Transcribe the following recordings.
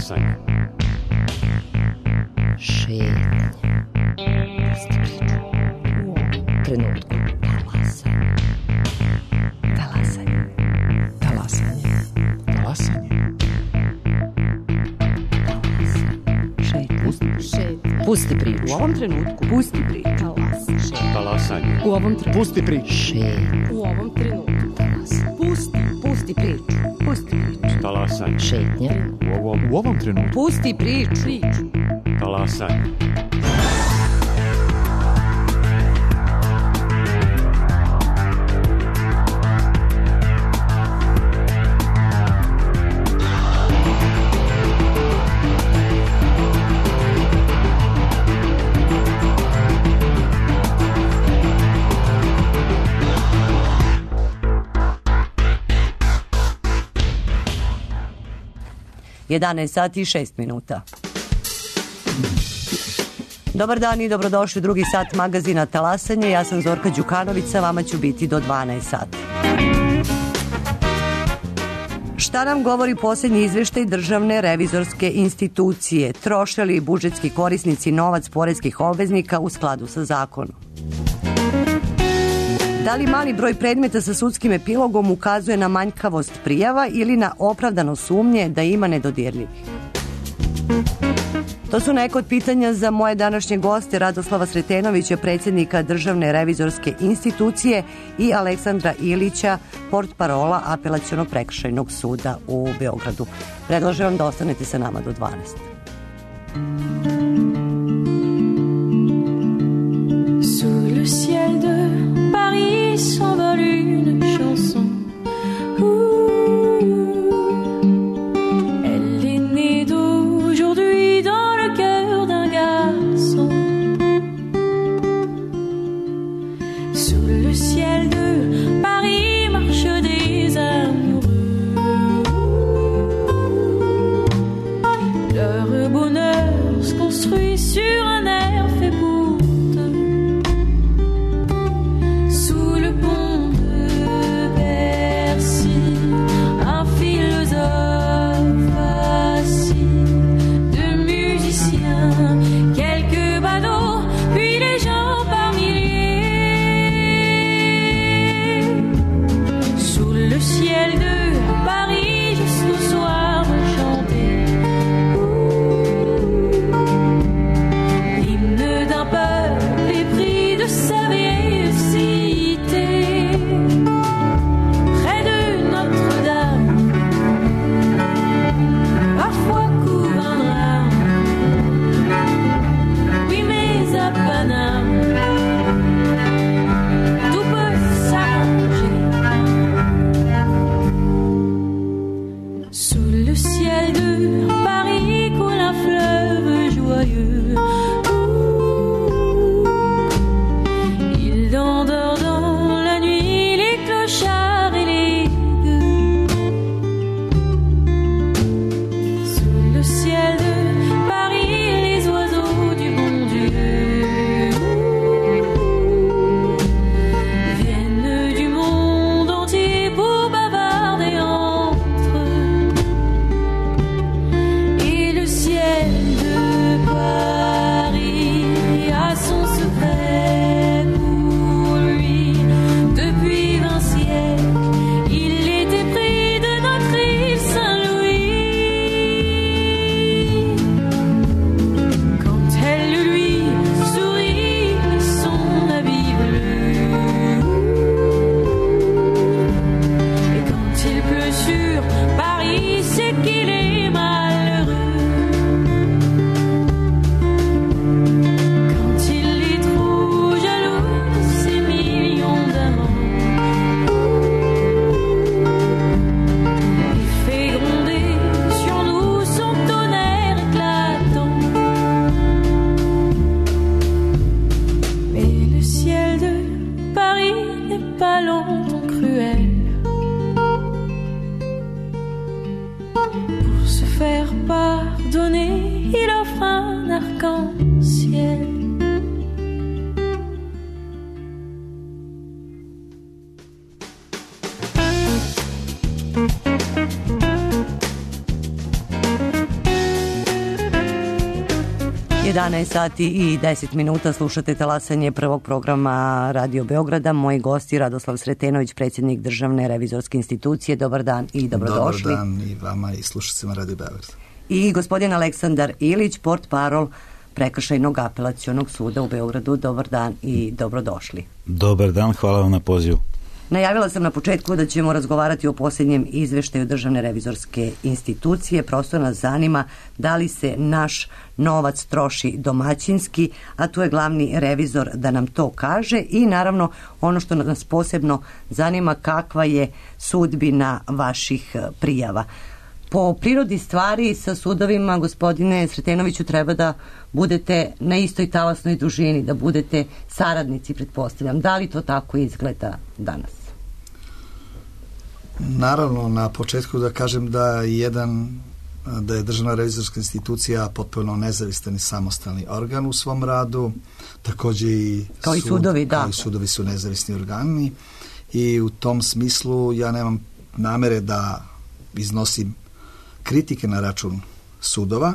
Talasanje. Šetnje. Pusti priču. U ovom trenutku. Talasanje. Talasanje. Talasanje. Talasanje. Šetnje. Pusti priču. U ovom trenutku. Pusti priču. Talasanje. U ovom trenutku. Pusti priču. Šetnje. U ovom trenutku. Talasanje. Pusti priču. Pusti priču. Talasanje. Šetnje. U ovom trenutku. Pusti priču. Talasanje. Sati i 6 minuta. Dobar dan i dobrodošli u drugi sat magazina Talasanje. Ja sam Zorka Đukanović, sa vama ću biti do 12 sati. Šta nam govori posljednji izveštaj Državne revizorske institucije? Troše li budžetski korisnici novac poreskih obveznika u skladu sa zakonom? Da li mali broj predmeta sa sudskim epilogom ukazuje na manjkavost prijava ili na opravdano sumnje da ima nedodirljivih? To su neka od pitanja za moje današnje goste Radoslava Sretenovića, predsjednika Državne revizorske institucije, i Aleksandra Ilića, portparola Apelacionog prekršajnog suda u Beogradu. Predlažem vam da ostanete sa nama do 12. Sous le ciel de Paris s'envole une chanson. Elle est née d'aujourd'hui dans le cœur d'un garçon. Sous le ciel de Paris marchent des amoureux. Leur bonheur se construit sur un air fait pour deux. Sous le pont de Bercy, un philosophe assis, deux musiciens, quelques badauds, puis les gens par milliers. Sous le ciel de Paris, jusqu'au soir chanter l'hymne d'un peuple épris de sa vieille cité. Près de Notre-Dame, parfois couvre un drame. Oui, mais à Paname, tout peut s'arranger. Sous le ciel de Paris coule un fleuve joyeux. Il endort dans la nuit les clochards et les gueux. Sous le ciel de Paris les oiseaux du bon Dieu viennent du monde entier pour bavarder entre eux. Et le ciel de Paris a son secret pour lui. Depuis 20 siècles, il était pris de notre île Saint-Louis. Quand elle lui sourit son habit bleu, et quand il pleut sur Paris, c'est qu'il est malheureux. Quand il est trop jaloux de ses millions d'amants, il fait gronder sur nous son tonnerre éclatant. Mais le ciel de Paris n'est pas longtemps cruel. Pour se faire pardonner, il offre un arc-en-ciel. 11 sati i 10 minuta slušate talasanje prvog programa Radio Beograda. Moji gosti Radoslav Sretenović, predsjednik Državne revizorske institucije. Dobar dan i dobrodošli. Dobar dan i vama i slušacima Radio Beograda. I gospodin Aleksandar Ilić, portparol Prekršajnog apelacionog suda u Beogradu. Dobar dan i dobrodošli. Dobar dan, hvala vam na pozivu. Najavila sam na početku da ćemo razgovarati o posljednjem izveštaju Državne revizorske institucije. Prosto nas zanima da li se naš novac troši domaćinski, a tu je glavni revizor da nam to kaže i naravno ono što nas posebno zanima, kakva je sudbina vaših prijava. Po prirodi stvari sa sudovima, gospodine Sretenoviću, treba da budete na istoj talasnoj dužini, da budete saradnici, pretpostavljam. Da li to tako izgleda danas? Naravno, na početku da kažem da je Državna revizorska institucija potpuno nezavistan i samostalni organ u svom radu, također i kao i sudovi, da. Kao i sudovi su nezavisni organi i u tom smislu ja nemam namere da iznosim kritike na račun sudova,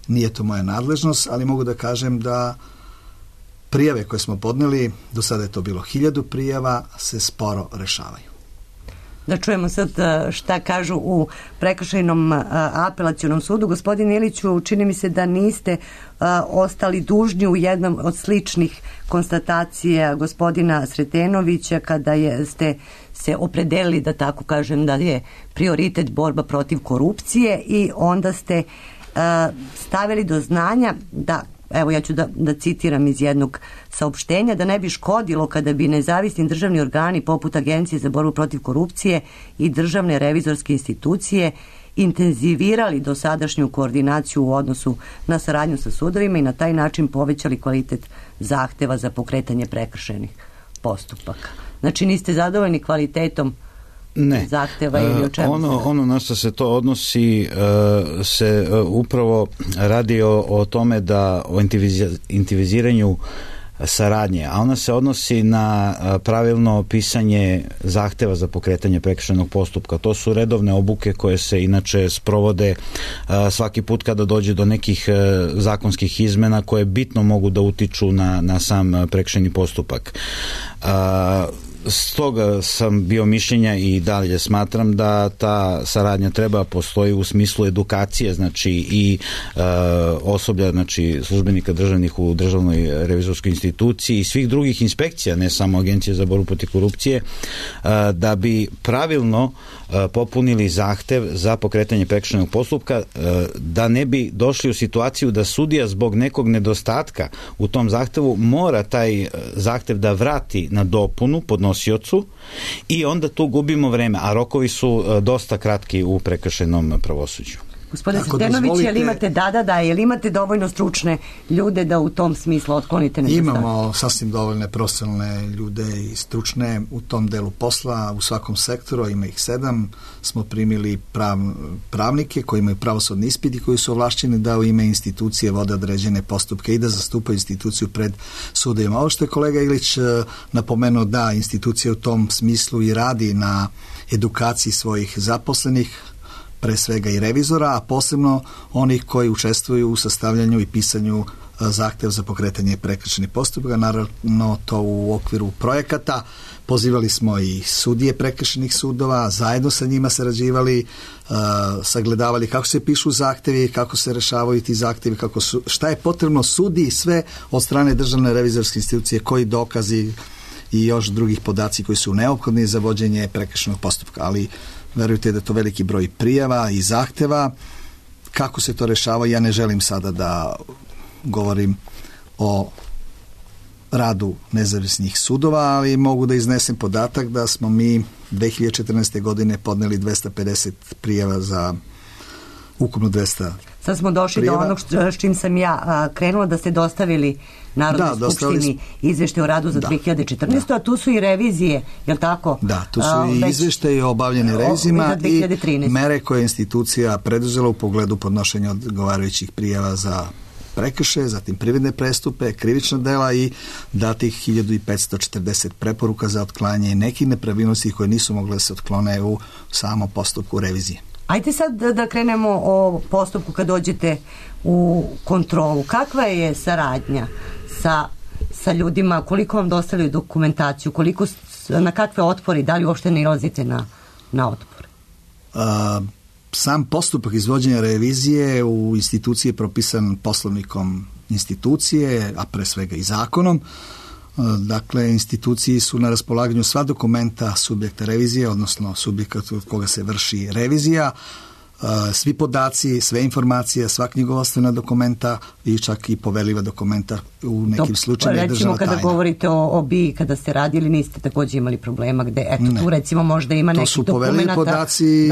nije to moja nadležnost, ali mogu da kažem da prijave koje smo podneli, do sada je to bilo 1000 prijava, se sporo rešavaju. Da čujemo sad šta kažu u Prekršajnom apelacionom sudu. Gospodin Iliću, čini mi se da niste ostali dužni u jednom od sličnih konstatacija gospodina Sretenovića kada ste se opredelili, da tako kažem, da je prioritet borba protiv korupcije i onda ste stavili do znanja da, evo ja ću da citiram iz jednog saopštenja, da ne bi škodilo kada bi nezavisni državni organi poput Agencije za borbu protiv korupcije i Državne revizorske institucije intenzivirali dosadašnju koordinaciju u odnosu na saradnju sa sudovima i na taj način povećali kvalitet zahteva za pokretanje prekršajnih postupaka. Znači niste zadovoljni kvalitetom zahteva ili o čemu? Ono na što se to odnosi se upravo radi o tome da o intenziviranju saradnje, a ona se odnosi na pravilno pisanje zahteva za pokretanje prekršajnog postupka. To su redovne obuke koje se inače sprovode svaki put kada dođe do nekih zakonskih izmena koje bitno mogu da utiču na sam prekršajni postupak. Stoga sam bio mišljenja i dalje smatram da ta saradnja treba postoji u smislu edukacije, znači i osoblja, znači službenika državnih u Državnoj revizorskoj instituciji i svih drugih inspekcija, ne samo Agencije za borbu protiv korupcije, da bi pravilno popunili zahtev za pokretanje prekršajnog postupka, da ne bi došli u situaciju da sudija zbog nekog nedostatka u tom zahtevu mora taj zahtev da vrati na dopunu podnosiocu i onda tu gubimo vreme, a rokovi su dosta kratki u prekršajnom pravosuđu. Gospodine Sretenović, jel imate jel imate dovoljno stručne ljude da u tom smislu otklonite nedostatke? Imamo sasvim dovoljne profesionalne ljude i stručne u tom delu posla, u svakom sektoru, ima ih 7, smo primili pravnike koji imaju pravosudni ispit i koji su ovlašćeni da u ime institucije vode određene postupke i da zastupaju instituciju pred sudovima. Ovo što je kolega Ilić napomenuo, da institucija u tom smislu i radi na edukaciji svojih zaposlenih, pre svega i revizora, a posebno onih koji učestvuju u sastavljanju i pisanju zahteva za pokretanje prekršajnih postupaka, naravno to u okviru projekata. Pozivali smo i sudije prekršajnih sudova, zajedno sa njima sarađivali, sagledavali kako se pišu zahtevi, kako se rešavaju ti zahtevi, šta je potrebno sudiji, sve od strane Državne revizorske institucije, koji dokazi i još drugih podaci koji su neophodni za vođenje prekršajnog postupka, ali verujte da je to veliki broj prijava i zahteva. Kako se to rešava, ja ne želim sada da govorim o radu nezavisnih sudova, ali mogu da iznesem podatak da smo mi 2014. godine podneli 250 prijava za ukupno 200 Sad smo došli prijava. Do onog s čim sam ja krenula, da ste dostavili Narodnoj skupštini izveštaj o radu za 2014. A tu su i revizije, je li tako? Da, tu su i izveštaje o obavljenim revizijama i mere koje je institucija preduzela u pogledu podnošenja odgovarajućih prijava za prekršaje, zatim privredne prestupe, krivična dela i datih 1540 preporuka za otklanjanje nekih nepravilnosti koje nisu mogle da se otklone u samom postupku revizije. Ajde sad da krenemo o postupku kad dođete u kontrolu. Kakva je saradnja sa ljudima, koliko vam dostavljaju dokumentaciju, na kakve otpori, da li uopšte nailazite na otpore? Sam postupak izvođenja revizije u instituciji je propisan poslovnikom institucije, a pre svega i zakonom. Dakle, instituciji su na raspolaganju sva dokumenta subjekta revizije, odnosno subjekata od koga se vrši revizija, svi podaci, sve informacije, sva knjigovodstvena dokumenta i čak i poverljiva dokumenta u nekim slučajevima državna tajna. Recimo kada govorite o BIA, kada ste radili, niste također imali problema gde, tu recimo možda ima nekih dokumenata. To su poverljivi podaci,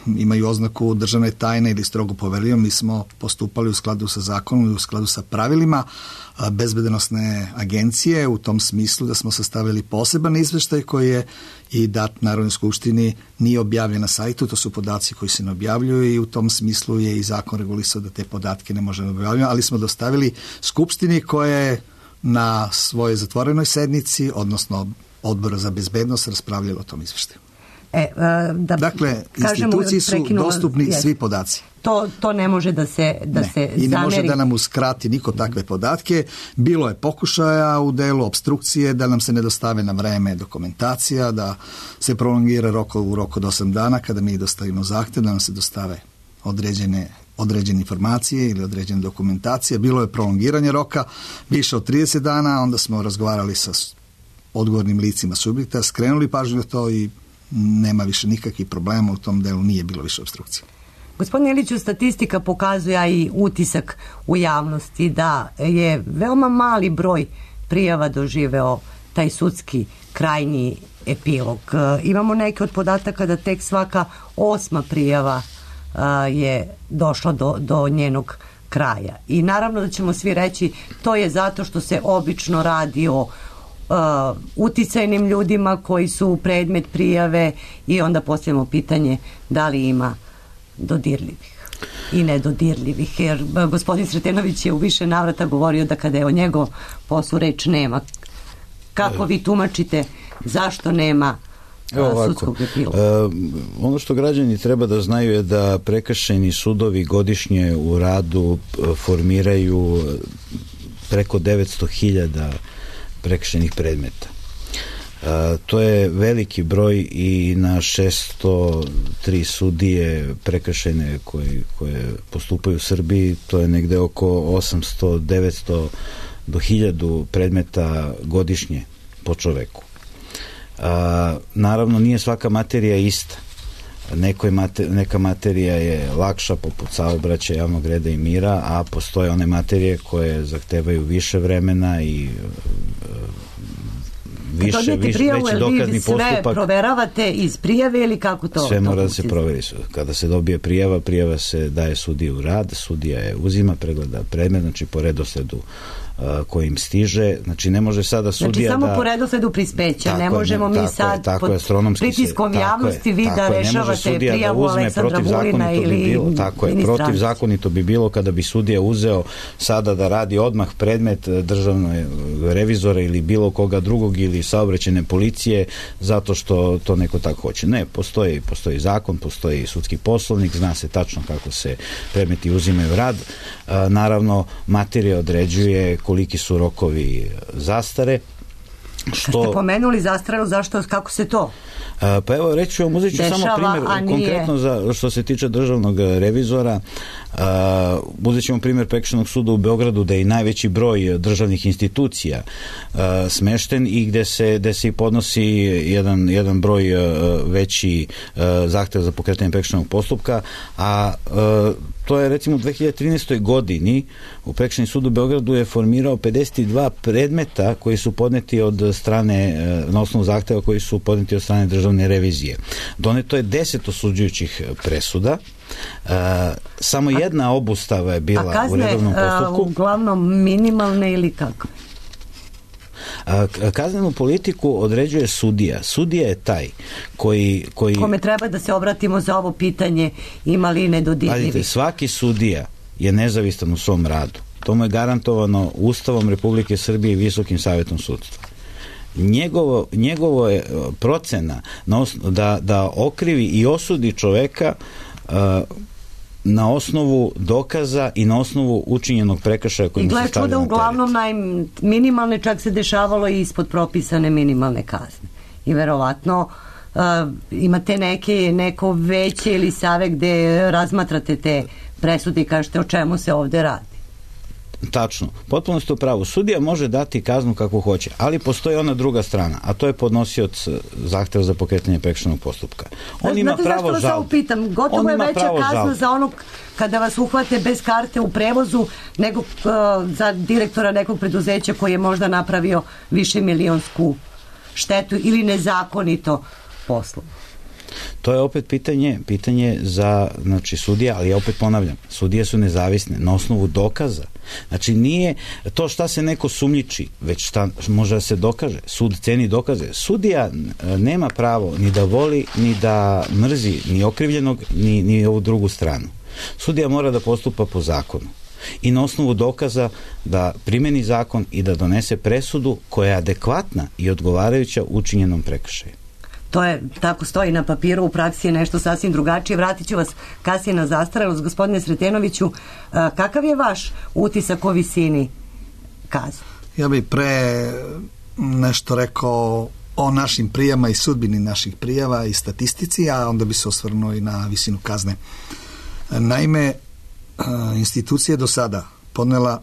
imaju oznaku državne tajne ili strogo poverljivo. Mi smo postupali u skladu sa zakonom i u skladu sa pravilima bezbedonosne agencije u tom smislu da smo sastavili poseban izveštaj koji je i dat Narodnoj skupštini, nije objavljen na sajtu, to su podaci koji se ne objavljuju i u tom smislu je i zakon regulisao da te podatke ne možemo objavljati, ali smo dostavili skupštini koja je na svojoj zatvorenoj sednici, odnosno Odbora za bezbednost, raspravljala o tom izveštaju. Dakle, instituciji su dostupni svi podaci. To ne može da se zameri. I ne može da nam uskrati niko takve podatke. Bilo je pokušaja u delu obstrukcije da nam se ne dostave na vreme dokumentacija, da se prolongira u roku od 8 dana kada mi dostavimo zahtev, da nam se dostave određene informacije ili određene dokumentacije. Bilo je prolongiranje roka više od 30 dana, onda smo razgovarali sa odgovornim licima subjekta, skrenuli pažnju na to i nema više nikakvih problema u tom delu, nije bilo više obstrukcije. Gospodine Iliću, statistika pokazuje i utisak u javnosti da je veoma mali broj prijava doživeo taj sudski krajnji epilog. Imamo neke od podataka da tek svaka 8. prijava je došla do njenog kraja. I naravno da ćemo svi reći to je zato što se obično radi o uticajnim ljudima koji su predmet prijave i onda postavljamo pitanje da li ima dodirljivih i nedodirljivih, jer gospodin Sretenović je u više navrata govorio da kada je o njegov poslu reč nema. Kako vi tumačite zašto nema sudskog epiloga? Ono što građani treba da znaju je da prekršajni sudovi godišnje u radu formiraju preko 900.000 prekršajnih predmeta. To je veliki broj i na 603 sudije prekršajne koje postupaju u Srbiji, to je negde oko 800, 900 do 1000 predmeta godišnje po čoveku. Naravno, nije svaka materija ista. Neka materija je lakša, poput saobraćaja, javnog reda i mira, a postoje one materije koje zahtevaju više vremena i veći dokazni postupak. Sve proveravate iz prijave ili kako to? Sve mora da se proveri. Kada se dobije prijava se daje sudiji u rad, sudija je uzima, pregleda predmet, znači po redosledu kojim stiže, znači ne može sada sudija samo po redosledu prispeća, ne možemo mi sad pod pritiskom javnosti vi da rešavate prijavu Aleksandra Vulina ili protivzakonito bi bilo kada bi sudija uzeo sada da radi odmah predmet državnog revizora ili bilo koga drugog ili saobraćajne policije zato što to neko tako hoće. Ne, postoji zakon, postoji sudski poslovnik, zna se tačno kako se predmeti uzimaju u rad. Naravno, materija određuje koliki su rokovi zastare. Kad ste pomenuli zastaru, kako se to? Pa evo, reći ću vam, uzet ću samo primjer, konkretno što se tiče državnog revizora, uzet ćemo primjer Prekršajnog suda u Beogradu, da je i najveći broj državnih institucija smešten i gde se i podnosi jedan broj veći zahtev za pokretanje prekršajnog postupka, a to je recimo u 2013. godini u Prekršajni sud u Beogradu je formirao 52 predmeta koji su podneti od strane, na osnovu zahteva koji su podneti od strane državne revizije. Doneto je 10 osuđujućih presuda, samo jedna obustava je bila u redovnom postupku. A kazne uglavnom minimalne ili kako? Kaznenu politiku određuje sudija. Sudija je taj koji... Kome treba da se obratimo za ovo pitanje, ima li nedodirljivih? Svaki sudija je nezavistan u svom radu. To mu je garantovano Ustavom Republike Srbije i Visokim savetom sudstva. njegovo je procena da okrivi i osudi čoveka na osnovu dokaza i na osnovu učinjenog prekršaja kojim se stavlja na teret. Uglavnom minimalne, čak se dešavalo i ispod propisane minimalne kazne. I verovatno imate neko veće ili save gde razmatrate te presude i kažete o čemu se ovde radi. Tačno, potpuno ste u pravu. Sudija može dati kaznu kako hoće, ali postoji ona druga strana, a to je podnosioc zahteva za pokretanje prekršajnog postupka. On ima pravo žalbe. Gotovo je veća kazna za onog kada vas uhvate bez karte u prevozu nego za direktora nekog preduzeća koji je možda napravio višemilionsku štetu ili nezakonito poslu. To je opet pitanje za sudija, ali ja opet ponavljam, sudije su nezavisne na osnovu dokaza. Znači nije to šta se neko sumnjiči, već šta može da se dokaže. Sud ceni dokaze. Sudija nema pravo ni da voli, ni da mrzi ni okrivljenog, ni ovu drugu stranu. Sudija mora da postupa po zakonu i na osnovu dokaza da primeni zakon i da donese presudu koja je adekvatna i odgovarajuća učinjenom prekršaju. To je, tako stoji na papiru, u praksi je nešto sasvim drugačije. Vratit ću vas kasnije na zastarelost. Gospodine Sretenoviću, kakav je vaš utisak o visini kazne? Ja bih pre nešto rekao o našim prijavama i sudbini naših prijava i statistici, a onda bi se osvrnuo i na visinu kazne. Naime, institucija do sada podnela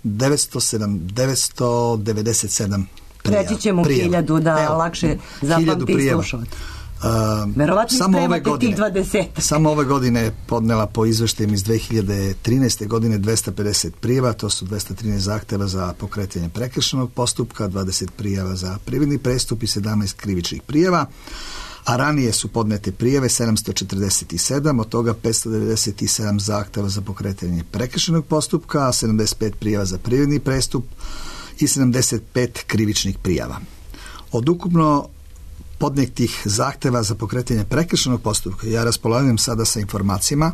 997 Preći ćemo 1000 da lakše zapamti i slušati. Verovatno spremate tih 20. Samo ove godine je podnela po izveštajima iz 2013. godine 250 prijava, to su 213 zahteva za pokretanje prekršajnog postupka, 20 prijava za privredni prestup i 17 krivičnih prijava, a ranije su podnete prijave 747, od toga 597 zahteva za pokretanje prekršajnog postupka, 75 prijava za privredni prestup i 75 krivičnih prijava. Od ukupno podnetih zahteva za pokretanje prekršajnog postupka, ja raspolažem sada sa informacijama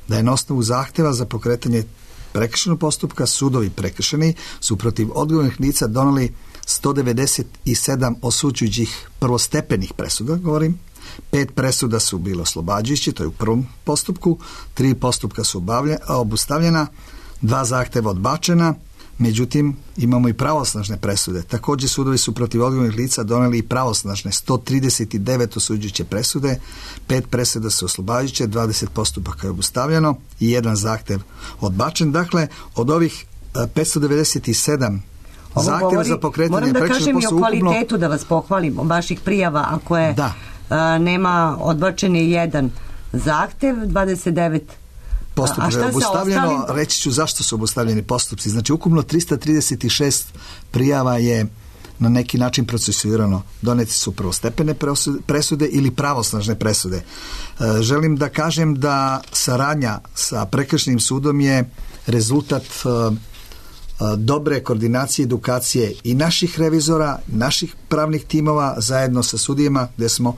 da je na osnovu zahteva za pokretanje prekršajnog postupka sudovi prekršajni su protiv odgovornih lica doneli 197 osuđujućih prvostepenih presuda, govorim. 5 presuda su bilo oslobađajuće, to je u prvom postupku, 3 postupka su obustavljena, 2 zahteva odbačena. Međutim, imamo i pravosnažne presude. Također sudovi su protiv odgovornih lica doneli i pravosnažne 139 osuđujuće presude, 5 presuda su oslobađajuće, 20 postupaka je obustavljeno i 1 zahtev odbačen. Dakle, od ovih 597 zahtjeva za pokretanje prekršajnog postupka. Moram da kažem i o kvalitetu, da vas pohvalim, vaših prijava, ako je nema odbačen je 1 zahtev, 29 postupka je obustavljeno. Reći ću zašto su obustavljeni postupci. Znači, ukupno 336 prijava je na neki način procesuirano. Doneti su prvostepene presude ili pravosnažne presude. Želim da kažem da saradnja sa prekršajnim sudom je rezultat dobre koordinacije, edukacije i naših revizora, naših pravnih timova zajedno sa sudijama, gde smo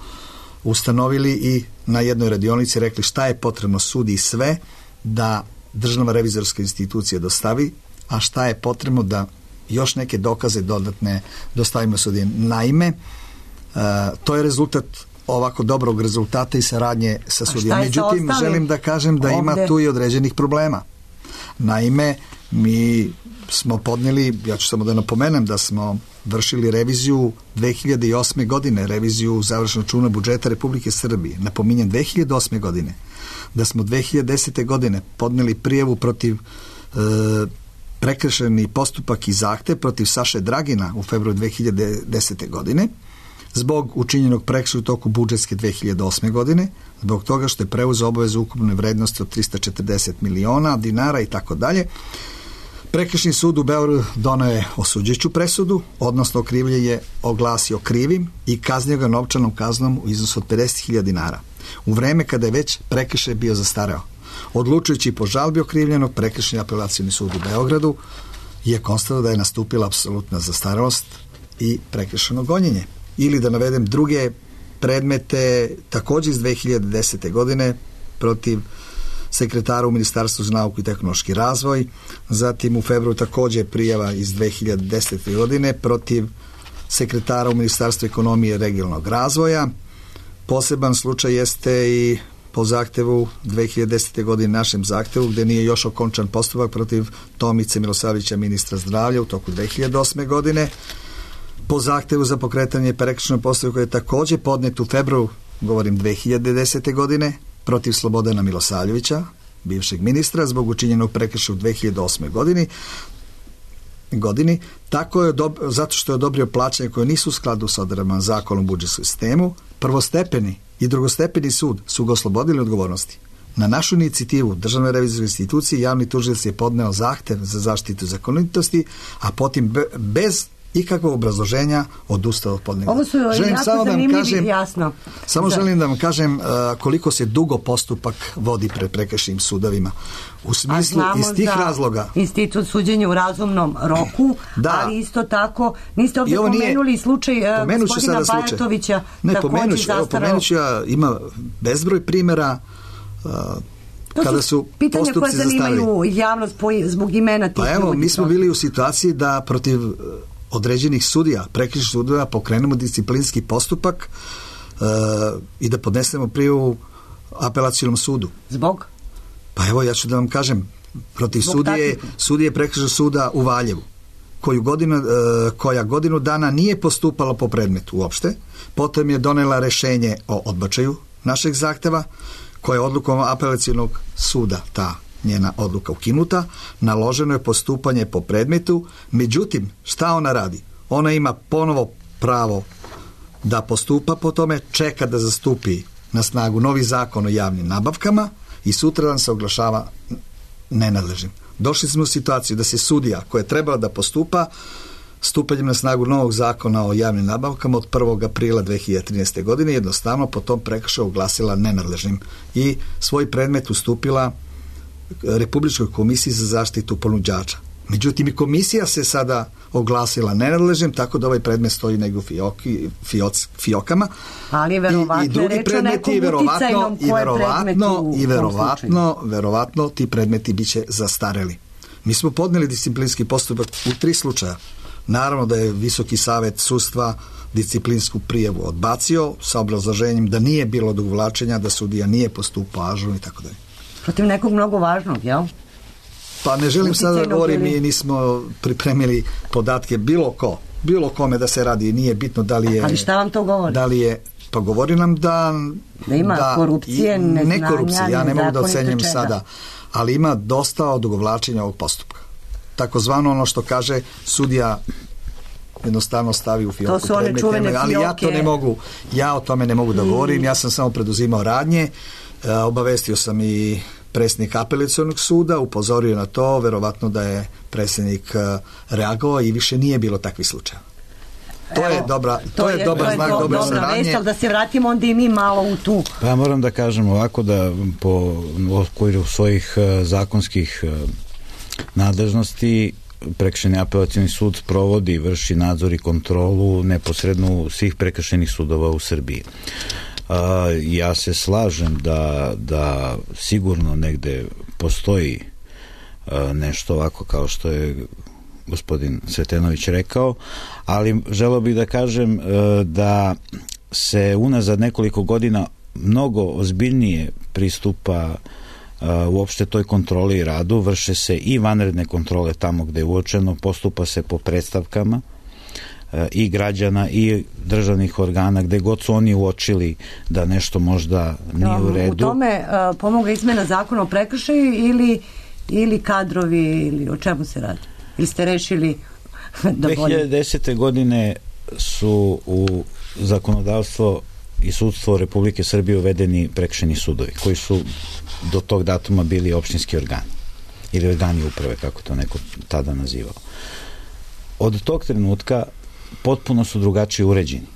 ustanovili i na jednoj radionici rekli šta je potrebno sudi sve da Državna revizorska institucija dostavi, a šta je potrebno da još neke dokaze dodatne dostavimo sudijama. Naime, to je rezultat ovako dobrog rezultata i saradnje sa sudijama. Međutim, želim da kažem da ima tu i određenih problema. Naime, mi smo podnijeli, ja ću samo da napomenem da smo vršili reviziju 2008. godine, reviziju završnog računa budžeta Republike Srbije. Napominjem 2008. godine. Da smo 2010. godine podnijeli prijavu protiv prekršajni postupak i zahtev protiv Saše Dragina u februaru 2010. godine zbog učinjenog prekršaja u toku budžetske 2008. godine, zbog toga što je preuzeo obavezu ukupne vrednosti od 340 miliona dinara i tako dalje. Prekršajni sud u Beogradu doneo je osuđujuću presudu, odnosno okrivlje je oglasio krivim i kaznio ga novčanom kaznom u iznosu od 50.000 dinara. U vreme kada je već prekršaj bio zastareo. Odlučujući po žalbi okrivljenog, Prekršajni apelacioni sud u Beogradu je konstatovao da je nastupila apsolutna zastarelost i prekršajno gonjenje. Ili da navedem druge predmete također iz 2010. godine protiv sekretara u Ministarstvu za nauku i tehnološki razvoj, zatim u februaru također prijava iz 2010. godine protiv sekretara u Ministarstvu ekonomije i regionalnog razvoja. Poseban slučaj jeste i po zahtevu 2010. godine, našem zahtevu, gde nije još okončan postupak protiv Tomice Milosavljevića, ministra zdravlja, u toku 2008. godine. Po zahtevu za pokretanje prekršajnog postupka koji je također podnet u februaru, govorim 2010. godine, protiv Slobodana Milosavljevića, bivšeg ministra, zbog učinjenog prekršaja u 2008. godini, tako je zato što je odobrio plaćanje koje nisu u skladu sa odredbama Zakona o budžetskom sistemu. Prvostepeni i drugostepeni sud su ga oslobodili odgovornosti. Na našu inicijativu Državne revizorske institucije javni tužilac je podneo zahtev za zaštitu zakonitosti, a potom bez ikakvog obrazloženja odustao od podnevnog. Ovo su jako zanimljivi, jasno. Želim da vam kažem koliko se dugo postupak vodi pred prekršajnim sudovima. U smislu iz tih razloga. Institut suđenja u razumnom roku, ali isto tako niste ovdje pomenuli slučaj gospodina Bajatovića. Pomenut ću ja, ima bezbroj primjera kada su pitanja koja zanimaju javnost zbog imena tih ljudi. Mi smo bili u situaciji da protiv određenih sudija, prekršajnih sudova, pokrenemo disciplinski postupak i da podnesemo prijavu apelacionom sudu. Zbog? Pa evo, ja ću da vam kažem, protiv sudije prekršajnog suda u Valjevu, koja godinu dana nije postupala po predmetu uopšte, potom je donela rešenje o odbačaju našeg zahteva, koja je odlukom apelacionog suda, ta njena odluka ukinuta, naloženo je postupanje po predmetu. Međutim, šta ona radi? Ona ima ponovo pravo da postupa po tome, čeka da zastupi na snagu novi zakon o javnim nabavkama i sutradan se oglašava nenadležnim. Došli smo u situaciju da se sudija koja je trebala da postupa stupanjem na snagu novog zakona o javnim nabavkama od 1. aprila 2013. godine jednostavno po tom prekršaju oglasila nenadležnim i svoj predmet ustupila Republičkoj komisiji za zaštitu ponuđača. Međutim, i komisija se sada oglasila nenadležnim, tako da ovaj predmet stoji negdje u fiokama. Ali verovatno je reč o nekom uticajnom verovatno ti predmeti bit će zastareli. Mi smo podneli disciplinski postupak u 3 slučaja. Naravno da je Visoki savet sudstva disciplinsku prijavu odbacio sa obrazloženjem da nije bilo odugovlačenja, da sudija nije postupao ažurno i tako dalje. Protiv nekog mnogo važnog, jel? Pa ne želim sada da govorim, mi nismo pripremili podatke bilo kome da se radi, nije bitno da li je... Ali šta vam to govori? Da li je, pa govori nam da ima korupcije, neznanja, ne korupcije, ja ne mogu da ocenjem sada, ali ima dosta odugovlačenja ovog postupka. Takozvano ono što kaže sudija jednostavno stavi u fioku predmete, ali ja o tome ne mogu da govorim, ja sam samo preduzimao radnje, obavestio sam i predsjednik apelacionog suda, upozorio na to, verovatno da je predsjednik reagovao i više nije bilo takvih slučaja. To je dobar znak dobre saradnje. Da se vratimo onda i mi malo u tu. Pa moram da kažem ovako da po okviru svojih zakonskih nadležnosti prekršajni apelacioni sud sprovodi i vrši nadzor i kontrolu neposredno svih prekršajnih sudova u Srbiji. Ja se slažem da sigurno negde postoji nešto ovako kao što je gospodin Sretenović rekao, ali želeo bih da kažem da se unazad nekoliko godina mnogo ozbiljnije pristupa uopšte toj kontroli i radu, vrše se i vanredne kontrole tamo gde je uočeno, postupa se po predstavkama i građana i državnih organa gde god su oni uočili da nešto možda nije u redu. U tome pomogla izmena zakona o prekršaju ili kadrovi ili o čemu se radi? Ili ste rešili da bolje? 2010. godine su u zakonodavstvo i sudstvo Republike Srbije uvedeni prekršajni sudovi koji su do tog datuma bili opštinski organi ili organi uprave, kako to neko tada nazivao. Od tog trenutka potpuno su drugačije uređeni.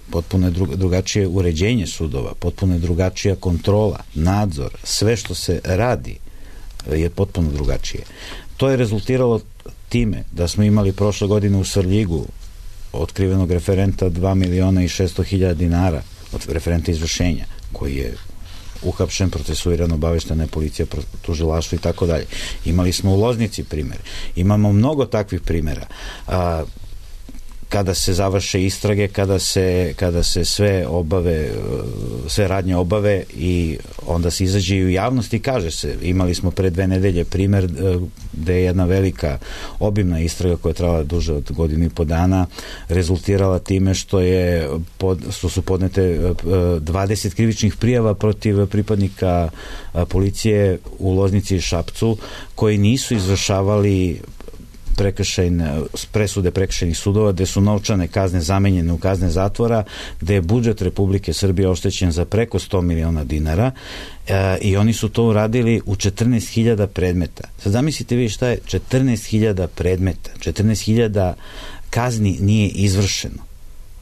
Potpuno je drugačije uređenje sudova, potpuno je drugačija kontrola, nadzor, sve što se radi je potpuno drugačije. To je rezultiralo time da smo imali prošle godine u Svrljigu otkrivenog referenta 2.600.000 dinara od referenta izvršenja, koji je uhapšen, procesuiran, obaveštena je policija, tužilaštvo i tako dalje. Imali smo u Loznici primjer. Imamo mnogo takvih primjera. kada se završe istrage, kada se sve radnje obave i onda se izađe i u javnost i kaže se, imali smo pre 2 nedelje primer gde je jedna velika obimna istraga koja je trajala duže od 1.5 dana rezultirala time što su podnete 20 krivičnih prijava protiv pripadnika policije u Loznici i Šapcu koji nisu izvršavali presude prekršajnih sudova, gde su novčane kazne zamenjene u kazne zatvora, gde je budžet Republike Srbije oštećen za preko 100 miliona dinara i oni su to uradili u 14.000 predmeta. Sad zamislite vi šta je 14.000 predmeta, 14.000 kazni nije izvršeno.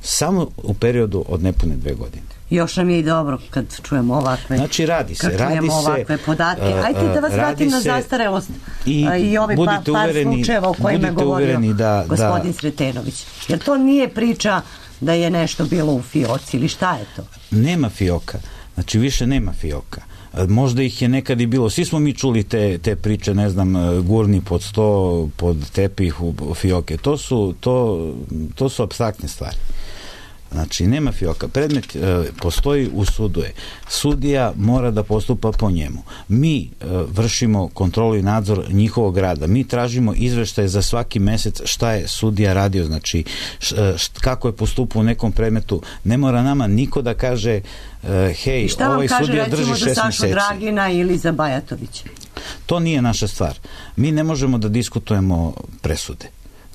Samo u periodu od nepune 2 godine. Još nam je i dobro kad čujemo ovakve, znači, radi se ovakve podatke. Ajde da vas vratim na zastarelost i ovi par slučajeva o kojima je govorio gospodin Sretenović. Jer to nije priča da je nešto bilo u fioci ili šta je to? Nema fioka. Znači, više nema fioka. Možda ih je nekad i bilo. Svi smo mi čuli te priče, ne znam, gurni pod sto, pod tepih u fioke. To su apstraktne stvari. Znači, nema fioka. Predmet postoji u sudu je. Sudija mora da postupa po njemu. Mi vršimo kontrolu i nadzor njihovog rada. Mi tražimo izveštaje za svaki mesec šta je sudija radio, znači kako je postupao u nekom predmetu. Ne mora nama niko da kaže hej, ovaj sudija drži 6 meseci. Šta vam kaže recimo za Sašu Dragina ili za Bajatovića? To nije naša stvar. Mi ne možemo da diskutujemo presude.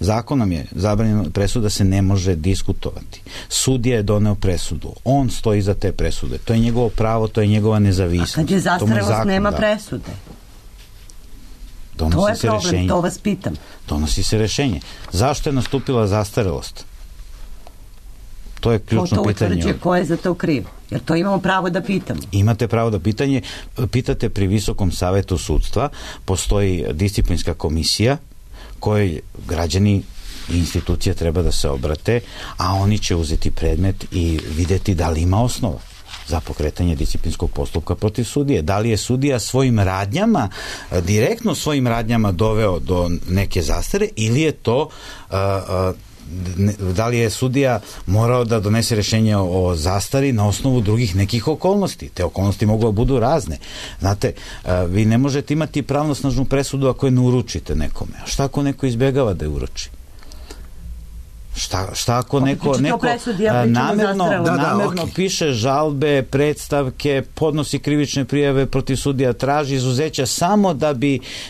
Zakonom je zabranjeno, presuda se ne može diskutovati. Sudija je doneo presudu. On stoji iza te presude. To je njegovo pravo, to je njegova nezavisnost. A kad je zastarelost, nema presude. To je problem, to vas pitam. Donosi se rešenje. Zašto je nastupila zastarelost? To je ključno pitanje. To utvrđuje ko je za to kriv. Jer to imamo pravo da pitamo. Imate pravo da pitate pri Visokom savetu sudstva. Postoji disciplinska komisija kojoj građani i institucije treba da se obrate, a oni će uzeti predmet i videti da li ima osnova za pokretanje disciplinskog postupka protiv sudije. Da li je sudija svojim radnjama, direktno svojim radnjama doveo do neke zastare ili je to da li je sudija morao da donese rešenje o zastari na osnovu drugih nekih okolnosti. Te okolnosti mogu da budu razne. Znate, vi ne možete imati pravnosnažnu presudu ako je ne uručite nekome. A šta ako neko izbjegava da je uruči? Šta ako neko namerno piše žalbe, predstavke, podnosi krivične prijave protiv sudija, traži izuzeća samo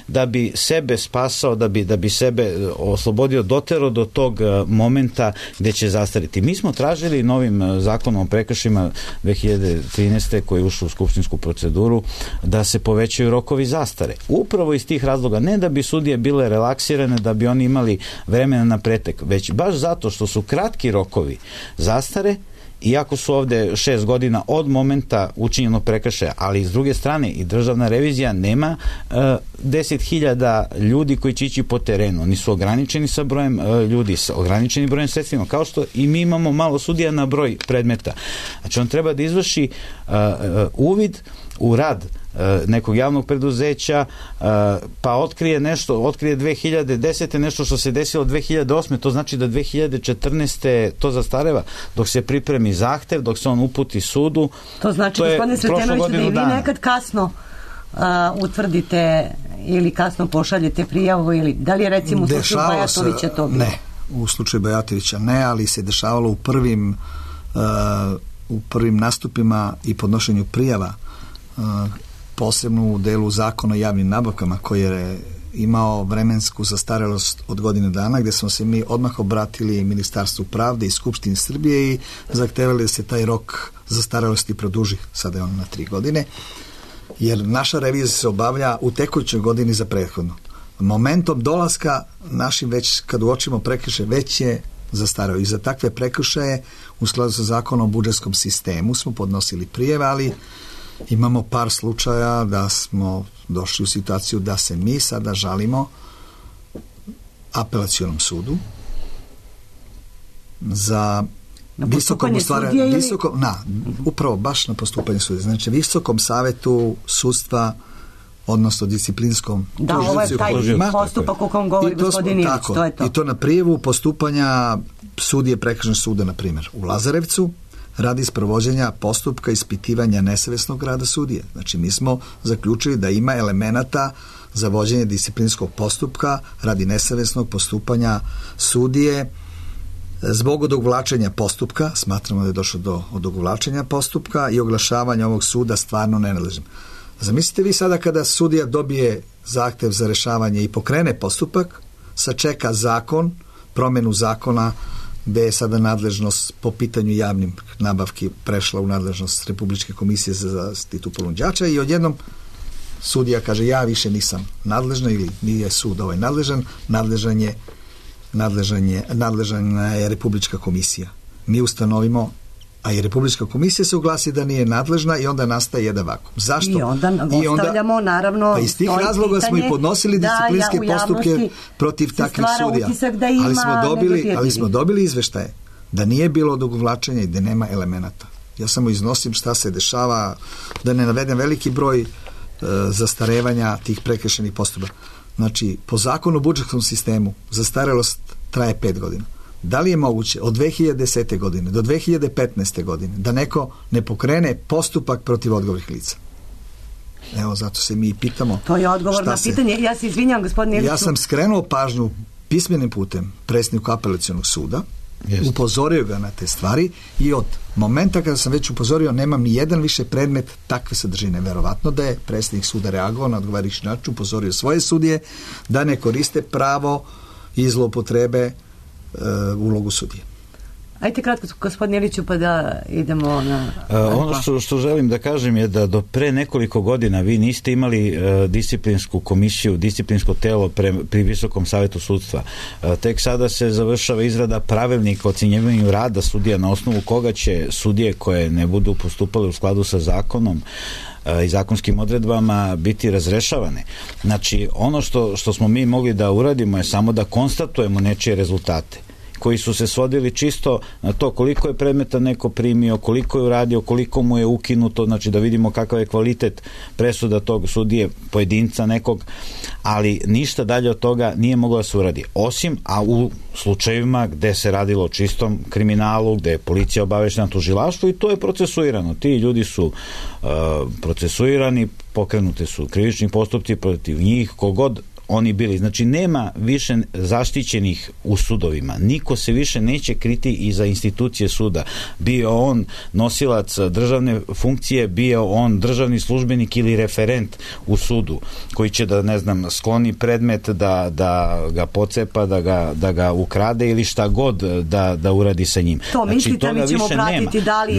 da bi sebe spasao, da bi sebe oslobodio, dotero do tog momenta gde će zastariti. Mi smo tražili novim zakonom o prekršajima 2013. koji je ušao u skupštinsku proceduru da se povećaju rokovi zastare. Upravo iz tih razloga, ne da bi sudije bile relaksirane, da bi oni imali vremena na pretek, već baš zato što su kratki rokovi zastare, iako su ovde 6 godina od momenta učinjenog prekršaja, ali s druge strane i državna revizija nema 10.000 ljudi koji će ići po terenu. Oni su ograničeni sa brojem ljudi, sa ograničenim brojem sredstvima, kao što i mi imamo malo sudija na broj predmeta. Znači on treba da izvrši uvid u rad nekog javnog preduzeća, pa otkrije 2010. nešto što se desilo 2008. To znači da 2014. to zastareva dok se pripremi zahtev, dok se on uputi sudu. To znači, gospodine Sretenoviću, da i vi nekad kasno utvrdite ili kasno pošaljete prijavu, ili da li je recimo u slučaju Bajatovića to bilo? Ne, u slučaju Bajatovića ne, ali se dešavalo u prvim nastupima i podnošenju prijava, posebno u delu zakona o javnim nabavkama koji je imao vremensku zastarelost od godine dana, gde smo se mi odmah obratili Ministarstvu pravde i Skupštini Srbije i zahtevali da se taj rok zastarelosti produži, sada je on na 3 godine, jer naša revizija se obavlja u tekućoj godini za prethodnu. Momentom dolaska našim, već kad uočimo prekršaj, već je zastareo. I za takve prekršaje u skladu sa zakonom o budžetskom sistemu smo podnosili prijeve, ali imamo par slučaja da smo došli u situaciju da se mi sada žalimo Apelacionom sudu za upravo baš na postupanje sudije. Znači Visokom savetu sudstva, odnosno disciplinskom ovo je taj postupak o kom govori gospodin Ilić, to je to. I to na prijavu postupanja sudije prekršajnog suda, na primjer, u Lazarevcu, radi sprovođenja postupka ispitivanja nesavesnog rada sudije. Znači, mi smo zaključili da ima elemenata za vođenje disciplinskog postupka radi nesavesnog postupanja sudije zbog odugovlačenja postupka. Smatramo da je došlo do odugovlačenja postupka i oglašavanja ovog suda stvarno nenadležnim. Zamislite vi sada kada sudija dobije zahtev za rešavanje i pokrene postupak, sačeka zakon, promenu zakona, gde je sada nadležnost po pitanju javnim nabavki prešla u nadležnost Republičke komisije za zaštitu ponuđača i odjednom sudija kaže ja više nisam nadležna ili nije sud ovaj nadležan, nadležna je Republička komisija. Mi ustanovimo, a i Republička komisija se uglasi da nije nadležna i onda nastaje jedan vakuum. Zašto? I onda ostavljamo, naravno, pa iz tih razloga smo i podnosili disciplinske postupke protiv takvih sudija. Ali smo dobili izveštaje da nije bilo odugovlačenja i da nema elemenata. Ja samo iznosim šta se dešava, da ne navedem veliki broj zastarevanja tih prekršajnih postupaka. Znači, po zakonu o budžetskom sistemu zastarelost traje 5 godina. Da li je moguće od 2010. godine do 2015. godine da neko ne pokrene postupak protiv odgovornih lica? Evo, zato se mi pitamo. To je odgovor na pitanje. Ja se izvinjam, gospodine Iliću. Ja sam skrenuo pažnju pismenim putem predsjedniku Apelacionog suda, upozorio ga na te stvari i od momenta kada sam već upozorio nemam ni jedan više predmet takve sadržine. Verovatno da je predsjednik suda reagovao na odgovarajući način, upozorio svoje sudije da ne koriste pravo i zloupotrebe ulogu sudije. Ajte kratko, gospodine Iliću, pa da idemo na... Ono što želim da kažem je da do pre nekoliko godina vi niste imali disciplinsku komisiju, disciplinsko telo pri Visokom savetu sudstva. Tek sada se završava izrada pravilnika o ocenjivanju rada sudija na osnovu koga će sudije koje ne budu postupale u skladu sa zakonom i zakonskim odredbama biti razrešavane. Znači, ono što smo mi mogli da uradimo je samo da konstatujemo nečije rezultate koji su se svodili čisto na to koliko je predmeta neko primio, koliko je uradio, koliko mu je ukinuto, znači da vidimo kakav je kvalitet presuda tog sudije, pojedinca nekog, ali ništa dalje od toga nije moglo da se uradi. Osim, a u slučajevima gde se radilo o čistom kriminalu, gde je policija obaveštena, tužilaštvo i to je procesuirano. Ti ljudi su procesuirani, pokrenute su krivični postupci protiv njih, kogod oni bili. Znači, nema više zaštićenih u sudovima. Niko se više neće kriti iza institucije suda. Bio on nosilac državne funkcije, bio on državni službenik ili referent u sudu, koji će da, ne znam, skloni predmet, da ga pocepa, da ga ukrade ili šta god da uradi sa njim. To znači, mislite, mi ćemo pratiti da li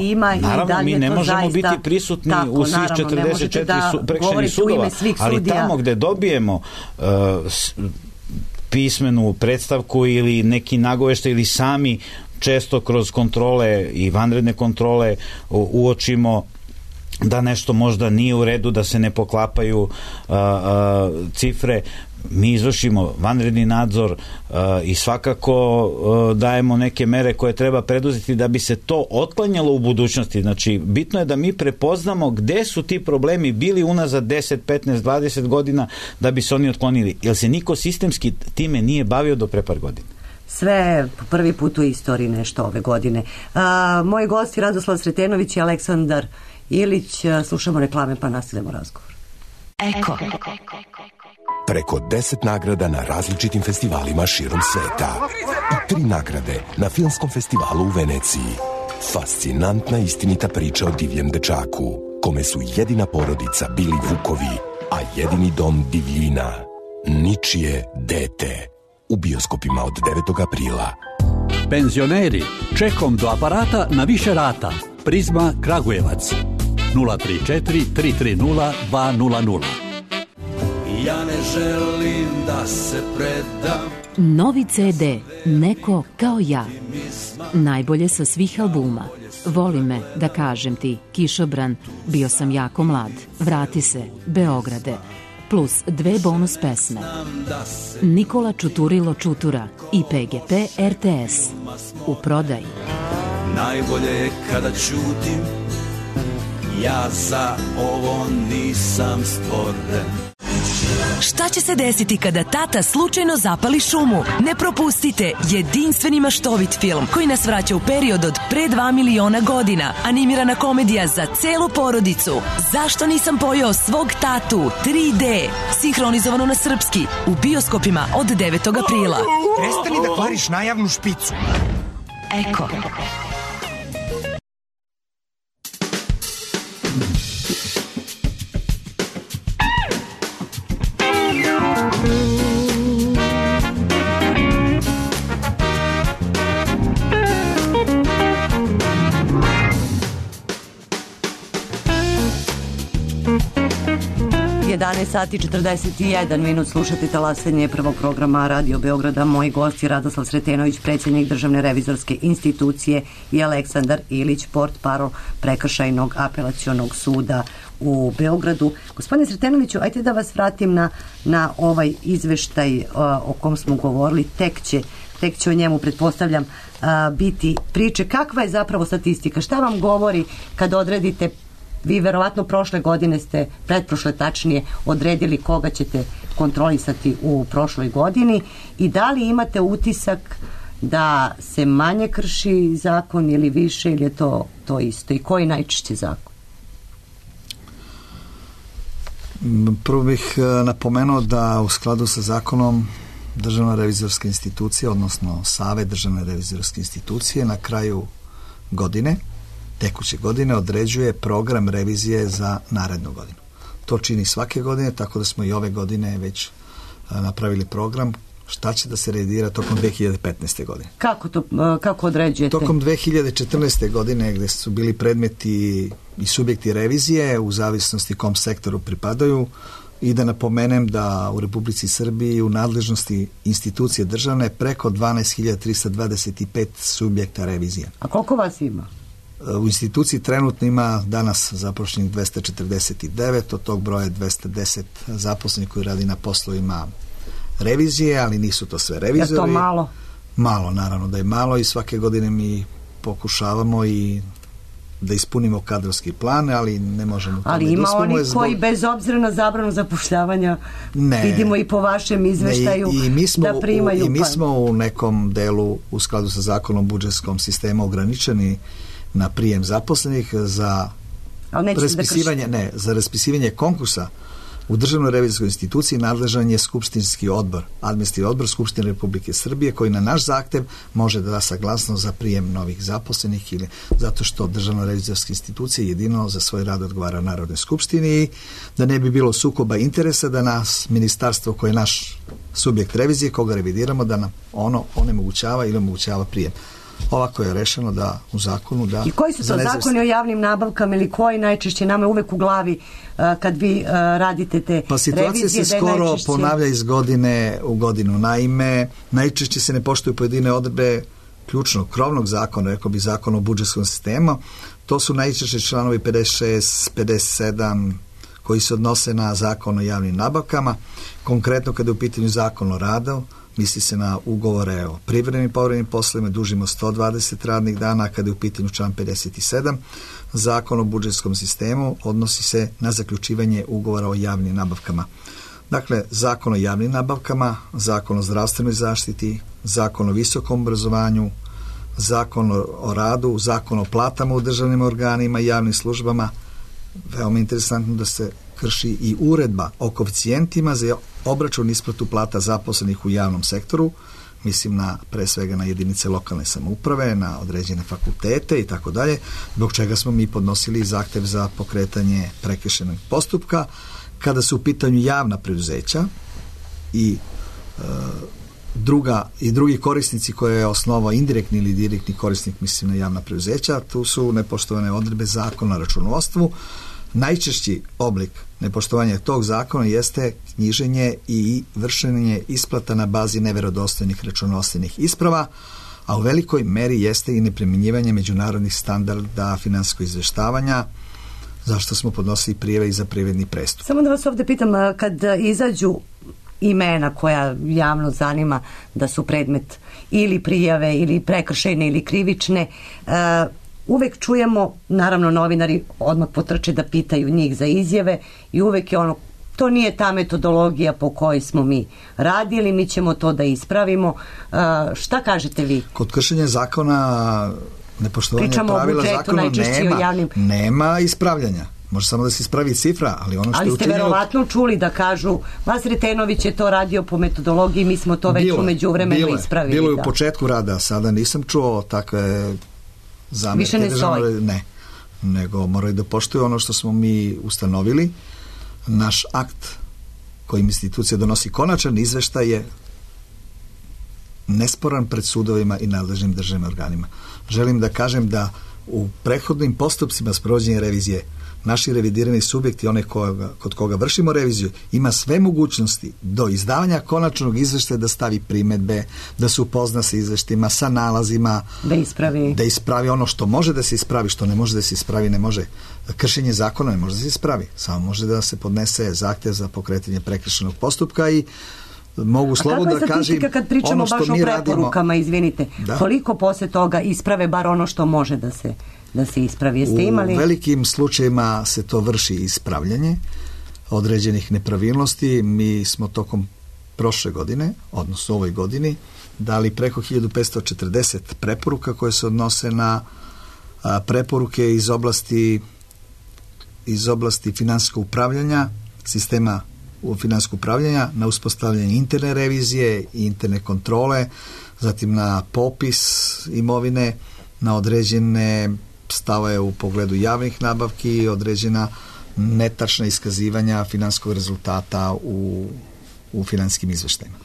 ima i da li je to zaista... mi ne možemo biti prisutni u svih 44 prekršajnih sudova, ali tamo gde dobijemo pismenu predstavku ili neki nagoveštaj ili sami često kroz kontrole i vanredne kontrole uočimo da nešto možda nije u redu, da se ne poklapaju cifre, mi izvršimo vanredni nadzor i svakako dajemo neke mere koje treba preduzeti da bi se to otklanjalo u budućnosti. Znači, bitno je da mi prepoznamo gde su ti problemi bili unazad 10, 15, 20 godina da bi se oni otklonili. Jer se niko sistemski time nije bavio do pre par godina. Sve prvi put u istoriji nešto ove godine. Moji gosti Radoslav Sretenović i Aleksandar Ilić. Slušamo reklame pa nastavljamo razgovor. Eko. Preko 10 nagrada na različitim festivalima širom sveta. I 3 nagrade na filmskom festivalu u Veneciji. Fascinantna istinita priča o divljem dečaku, kome su jedina porodica bili vukovi, a jedini dom divljina. Ničije dete. U bioskopima od 9. aprila. Penzioneri, čekom do aparata na više rata. Prizma Kragujevac. 034 330 200. Ja ne želim da se predam. Novi CD Neko kao ja. Najbolje sa svih albuma. Voli me, da kažem ti, Kišobran, Bio sam jako mlad, Vrati se, Beograde, plus 2 bonus pesme. Nikola Čuturilo Čutura i PGP RTS. U prodaji. Najbolje je kada ćutim, ja za ovo nisam stvoren. Šta će se desiti kada tata slučajno zapali šumu? Ne propustite jedinstveni maštovit film koji nas vraća u period od pre 2 miliona godina. Animirana komedija za celu porodicu. Zašto nisam pojeo svog tatu? 3D. Sinhronizovano na srpski. U bioskopima od 9. aprila. Prestani da kvariš najavnu špicu. Eko. Sati 41 minut, slušate talasanje prvog programa Radio Beograda. Moji gosti Radoslav Sretenović, predsjednik Državne revizorske institucije, i Aleksandar Ilić, portparol Prekršajnog apelacionog suda u Beogradu. Gospodine Sretenoviću, ajte da vas vratim na ovaj izveštaj o kom smo govorili. Tek će o njemu, pretpostavljam, biti priče. Kakva je zapravo statistika? Šta vam govori kad odredite? Vi verovatno prošle godine ste, pretprošle tačnije, odredili koga ćete kontrolisati u prošloj godini, i da li imate utisak da se manje krši zakon ili više, ili je to isto? I koji najčešće zakon? Prvo bih napomenuo da u skladu sa zakonom Državna revizorska institucija, odnosno Savet Državne revizorske institucije, na kraju godine, tekuće godine, određuje program revizije za narednu godinu. To čini svake godine, tako da smo i ove godine već napravili program šta će da se revidira tokom 2015. godine. Kako određujete? Tokom 2014. godine, gde su bili predmeti i subjekti revizije u zavisnosti kom sektoru pripadaju, i da napomenem da u Republici Srbiji u nadležnosti institucije državne preko 12.325 subjekta revizije. A koliko vas ima? U instituciji trenutno ima danas zaposlenih 249, od tog broja 210 zaposlenih koji radi na poslovima revizije, ali nisu to sve revizori. Je to malo? Malo, naravno da je malo, i svake godine mi pokušavamo i da ispunimo kadrovski plan, ali ne možemo to. Ali ima oni koji bez obzira na zabranu zapošljavanja, vidimo i po vašem izveštaju, da primaju. I mi smo u nekom delu u skladu sa zakonom o budžetskom sistemu ograničeni na prijem zaposlenih za raspisivanje konkursa u Državnoj revizorskoj instituciji. Nadležan je skupštinski odbor, administrativni odbor Skupštine Republike Srbije, koji na naš zahtev može da da saglasnost za prijem novih zaposlenih, ili zato što Državna revizorska institucija jedino za svoj rad odgovara Narodnoj skupštini, i da ne bi bilo sukoba interesa da nas ministarstvo, koje je naš subjekt revizije, koga revidiramo, da nam ono onemogućava ili omogućava prijem. Ovako je rešeno da u zakonu da... I koji su to zakoni o javnim nabavkama, ili koji najčešće, nama je uvek u glavi kad vi radite te revizije? Pa situacija se skoro ponavlja iz godine u godinu. Naime, najčešće se ne poštuju pojedine odredbe ključnog, krovnog zakona, rekao bi zakon o budžetskom sistemu. To su najčešće članovi 56, 57, koji se odnose na zakon o javnim nabavkama. Konkretno kada je u pitanju zakon o radu, misli se na ugovore o privremenim i povremenim poslovima dužim od 120 radnih dana. Kada je u pitanju član 57, zakon o budžetskom sistemu, odnosi se na zaključivanje ugovora o javnim nabavkama. Dakle, zakon o javnim nabavkama, zakon o zdravstvenoj zaštiti, zakon o visokom obrazovanju, zakon o radu, zakon o platama u državnim organima i javnim službama. Veoma interesantno da se krši i uredba o koeficijentima za obračun isplatu plata zaposlenih u javnom sektoru, mislim pre svega na jedinice lokalne samouprave, na određene fakultete i tako dalje, zbog čega smo mi podnosili zahtev za pokretanje prekršajnog postupka. Kada su u pitanju javna preduzeća i drugi korisnici koje je osnovao indirektni ili direktni korisnik, mislim na javna preduzeća, tu su nepoštovane odredbe zakona o računovodstvu. Najčešći oblik nepoštovanja tog zakona jeste knjiženje i vršenje isplata na bazi neverodostojnih računovodstvenih isprava, a u velikoj meri jeste i neprimjenjivanje međunarodnih standarda finansijskog izveštavanja, zašto smo podnosili prijave i za privredni prestup. Samo da vas ovdje pitam, kad izađu imena koja javno zanima da su predmet ili prijave ili prekršajne ili krivične, uvek čujemo, naravno novinari odmah potrče da pitaju njih za izjave, i uvek je ono to nije ta metodologija po kojoj smo mi radili, mi ćemo to da ispravimo. Šta kažete vi? Kod kršenja zakona, nepoštovanja pravila zakona nema ispravljanja. Može samo da se ispravi cifra, ali ono što je učinjeno... Ali ste verovatno čuli da kažu, Sretenović je to radio po metodologiji, mi smo to već u međuvremenu ispravili. Bilo je u početku rada, sada nisam čuo takve zamjerke. Više ne stoji? Ne, nego moraju da poštuju ono što smo mi ustanovili. Naš akt kojim institucija donosi konačan izveštaj je nesporan pred sudovima i nadležnim državnim organima. Želim da kažem da u prethodnim postupcima sprovođenja revizije naši revidirani subjekti, one kod koga vršimo reviziju, ima sve mogućnosti do izdavanja konačnog izveštaja da stavi primedbe, da se upozna sa izveštima, sa nalazima, da ispravi ono što može da se ispravi, što ne može da se ispravi, ne može. Kršenje zakona ne može da se ispravi, samo može da se podnese zahtev za pokretanje prekršajnog postupka i mogu slobodno da kažem kad pričamo ono što baš mi o preporukama, radimo. Izvinite, koliko posle toga isprave bar ono što može da se ispravi? Jeste imali? U velikim slučajevima se to vrši ispravljanje određenih nepravilnosti. Mi smo tokom prošle godine, odnosno ovoj godini, dali preko 1540 preporuka koje se odnose na preporuke iz oblasti finansijskog upravljanja, sistema finansijskog upravljanja, na uspostavljanje interne revizije i interne kontrole, zatim na popis imovine, na određene stave u pogledu javnih nabavki, određena netačna iskazivanja finansijskog rezultata u finansijskim izveštajima.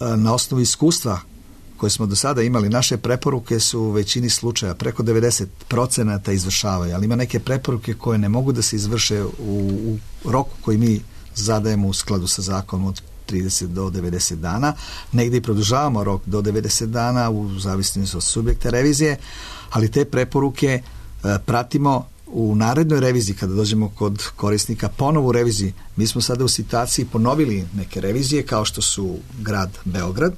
Na osnovu iskustva koje smo do sada imali, naše preporuke su u većini slučaja preko 90% izvršavaju, ali ima neke preporuke koje ne mogu da se izvrše u roku koji mi zadajemo u skladu sa zakonom od 30 do 90 dana. Negdje i produžavamo rok do 90 dana u zavisnosti od subjekta revizije, ali te preporuke pratimo u narednoj reviziji kada dođemo kod korisnika ponovu reviziji. Mi smo sada u situaciji ponovili neke revizije kao što su grad Beograd,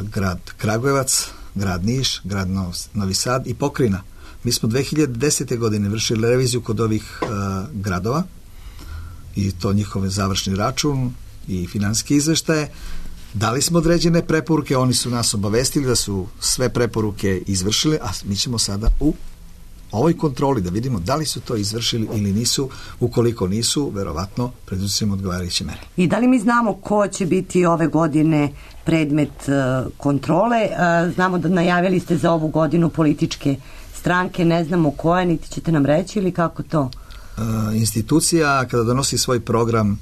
grad Kragujevac, grad Niš, grad Novi Sad i pokrajina. Mi smo 2010. godine vršili reviziju kod ovih gradova i to njihove završni račun i finansijske izveštaje. Dali smo određene preporuke, oni su nas obavestili da su sve preporuke izvršili, a mi ćemo sada u ovoj kontroli da vidimo da li su to izvršili ili nisu. Ukoliko nisu, verovatno preduzimamo odgovarajuće mere. I da li mi znamo ko će biti ove godine predmet kontrole? Znamo da najavili ste za ovu godinu političke stranke, ne znamo koje, niti ćete nam reći ili kako to? Institucija kada donosi svoj program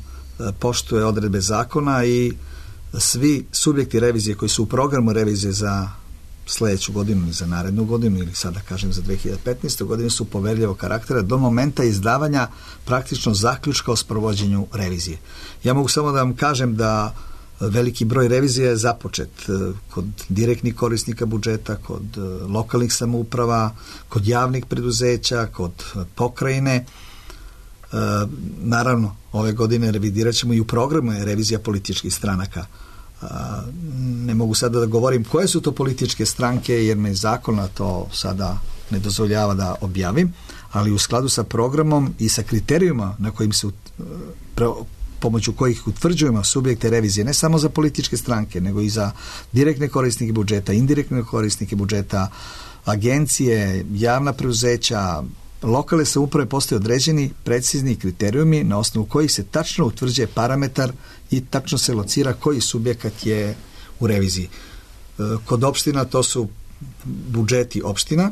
poštuje odredbe zakona i svi subjekti revizije koji su u programu revizije za sljedeću godinu ili za narednu godinu ili sada kažem za 2015. godinu su poverljivog karaktera do momenta izdavanja praktično zaključka o sprovođenju revizije. Ja mogu samo da vam kažem da veliki broj revizija je započet kod direktnih korisnika budžeta, kod lokalnih samouprava, kod javnih preduzeća, kod pokrajine. Naravno, ove godine revidirat ćemo i u programu je revizija političkih stranaka. Ne mogu sada da govorim koje su to političke stranke jer me zakona to sada ne dozvoljava da objavim, ali u skladu sa programom i sa kriterijuma na kojim se pomoću kojih utvrđujemo subjekte revizije, ne samo za političke stranke, nego i za direktne korisnike budžeta, indirektne korisnike budžeta, agencije, javna preduzeća, lokalne samouprave, postoje određeni precizni kriterijumi na osnovu kojih se tačno utvrđuje parametar i tačno se locira koji subjekat je u reviziji. Kod opština to su budžeti opština.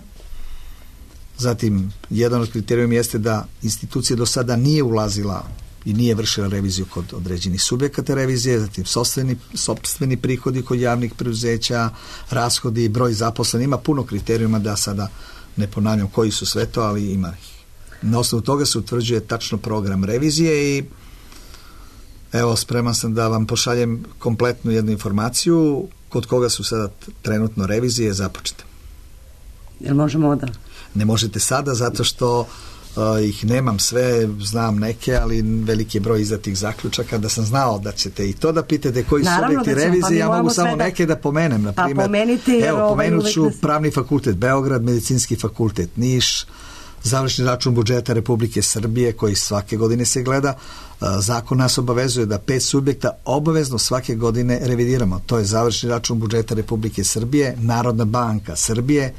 Zatim, jedan od kriterijuma jeste da institucija do sada nije ulazila i nije vršila reviziju kod određenih subjekata revizije, zatim sopstveni prihodi kod javnih preduzeća, rashodi, broj zaposlenih, ima puno kriterijuma da sada ne ponavljam koji su sve to, ali ima ih. Na osnovu toga se utvrđuje tačno program revizije i evo, spreman sam da vam pošaljem kompletnu jednu informaciju kod koga su sada trenutno revizije započete. Jel možemo da? Ne možete sada zato što ih nemam sve, znam neke, ali veliki je broj izdatih zaključaka. Da sam znao da ćete i to da pitate koji subjekti revizije, ja mogu samo neke da pomenem. Na primjer, pomenite, evo, pomenut ću Pravni fakultet Beograd, Medicinski fakultet Niš, završni račun budžeta Republike Srbije koji svake godine se gleda. Zakon nas obavezuje da 5 subjekta obavezno svake godine revidiramo. To je završni račun budžeta Republike Srbije, Narodna banka Srbije,